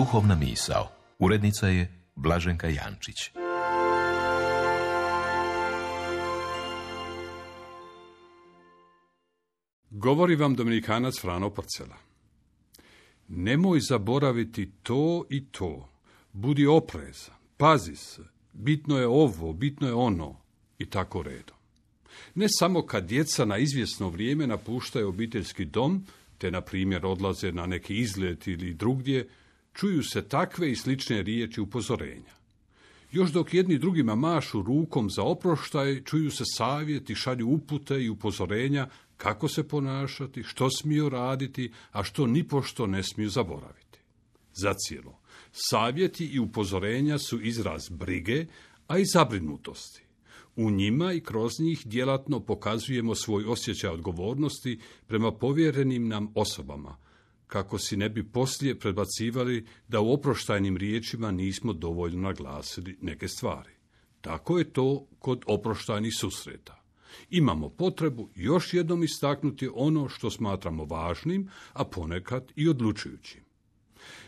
Duhovna misao. Urednica je Blaženka Jančić. Govori vam dominikanac Frano Porcela. Nemoj zaboraviti to i to. Budi oprezan, pazi se, bitno je ovo, bitno je ono i tako redom. Ne samo kad djeca na izvjesno vrijeme napuštaju obiteljski dom, te na primjer odlaze na neki izlet ili drugdje, čuju se takve i slične riječi upozorenja. Još dok jedni drugima mašu rukom za oproštaj, čuju se savjeti, šalju upute i upozorenja kako se ponašati, što smiju raditi, a što nipošto ne smiju zaboraviti. Zacijelo, savjeti i upozorenja su izraz brige, a i zabrinutosti. U njima i kroz njih djelatno pokazujemo svoj osjećaj odgovornosti prema povjerenim nam osobama, kako si ne bi poslije predbacivali da u oproštajnim riječima nismo dovoljno naglasili neke stvari. Tako je to kod oproštajnih susreta. Imamo potrebu još jednom istaknuti ono što smatramo važnim, a ponekad i odlučujućim.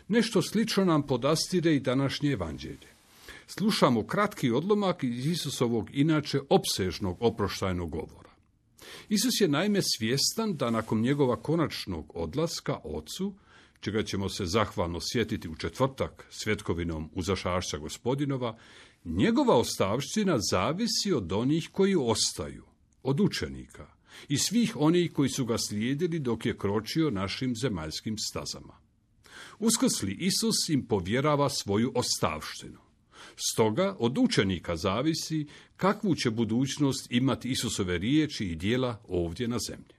Nešto slično nam podastire i današnje evanđelje. Slušamo kratki odlomak iz Isusovog inače opsežnog oproštajnog govora. Isus je naime svjestan da nakon njegova konačnog odlaska Ocu, čega ćemo se zahvalno sjetiti u četvrtak svjetkovinom uzašašća Gospodinova, njegova ostavština zavisi od onih koji ostaju, od učenika i svih onih koji su ga slijedili dok je kročio našim zemaljskim stazama. Uskrsli Isus im povjerava svoju ostavštinu. Stoga od učenika zavisi kakvu će budućnost imati Isusove riječi i djela ovdje na zemlji.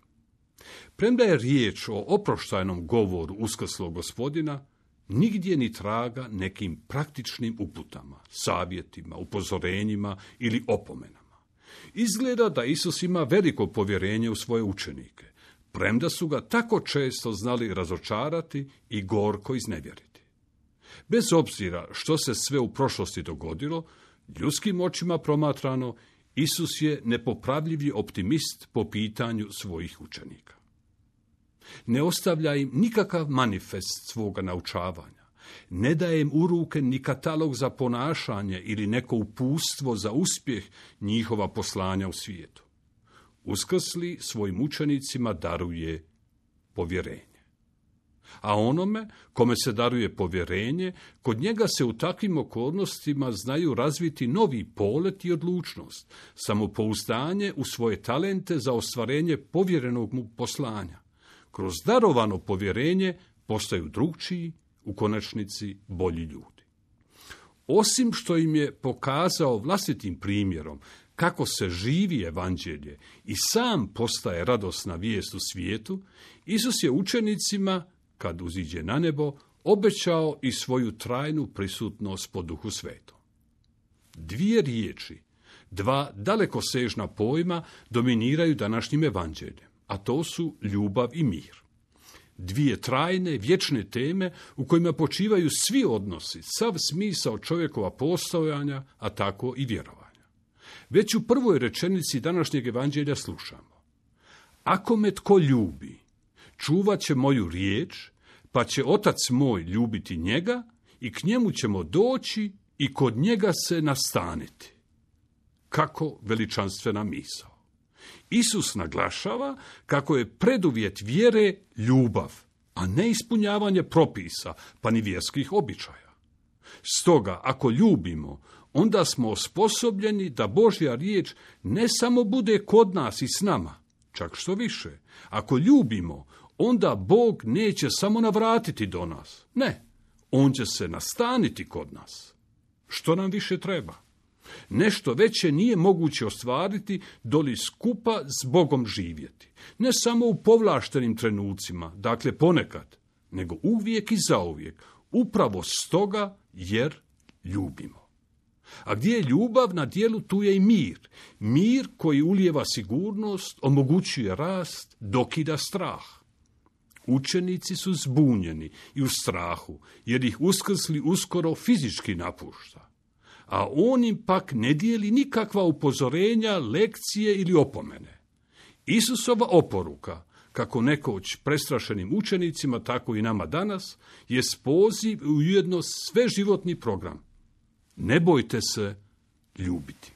Premda je riječ o oproštajnom govoru uskrslog Gospodina, nigdje ni traga nekim praktičnim uputama, savjetima, upozorenjima ili opomenama. Izgleda da Isus ima veliko povjerenje u svoje učenike, premda su ga tako često znali razočarati i gorko iznevjeriti. Bez obzira što se sve u prošlosti dogodilo, ljudskim očima promatrano, Isus je nepopravljivi optimist po pitanju svojih učenika. Ne ostavlja im nikakav manifest svoga naučavanja, ne daje im u ruke ni katalog za ponašanje ili neko uputstvo za uspjeh njihova poslanja u svijetu. Uskrsli svojim učenicima daruje povjerenje. A onome kome se daruje povjerenje, kod njega se u takvim okolnostima znaju razviti novi polet i odlučnost, samopouzdanje u svoje talente za ostvarenje povjerenog mu poslanja. Kroz darovano povjerenje postaju drugčiji, u konačnici bolji ljudi. Osim što im je pokazao vlastitim primjerom kako se živi evanđelje i sam postaje radosna vijest u svijetu, Isus je učenicima, kad uziđe na nebo, obećao i svoju trajnu prisutnost po Duhu Svetom. Dvije riječi, dva dalekosežna pojma dominiraju današnjim evanđeljem, a to su ljubav i mir. Dvije trajne, vječne teme u kojima počivaju svi odnosi, sav smisao čovjekova postojanja, a tako i vjerovanja. Već u prvoj rečenici današnjeg evanđelja slušamo: ako me tko ljubi, čuvat će moju riječ, pa će Otac moj ljubiti njega i k njemu ćemo doći i kod njega se nastaniti. Kako veličanstvena misao. Isus naglašava kako je preduvjet vjere ljubav, a ne ispunjavanje propisa, pa ni vjerskih običaja. Stoga, ako ljubimo, onda smo osposobljeni da Božja riječ ne samo bude kod nas i s nama, čak što više. Ako ljubimo, onda Bog neće samo navratiti do nas. Ne, on će se nastaniti kod nas. Što nam više treba? Nešto veće nije moguće ostvariti doli skupa s Bogom živjeti. Ne samo u povlaštenim trenucima, dakle ponekad, nego uvijek i zauvijek, upravo stoga jer ljubimo. A gdje je ljubav na djelu, tu je i mir. Mir koji ulijeva sigurnost, omogućuje rast, dokida strah. Učenici su zbunjeni i u strahu, jer ih uskrsli uskoro fizički napušta. A on im pak ne dijeli nikakva upozorenja, lekcije ili opomene. Isusova oporuka, kako nekoć prestrašenim učenicima, tako i nama danas, je poziv i ujedno sveživotni program. Ne bojte se ljubiti.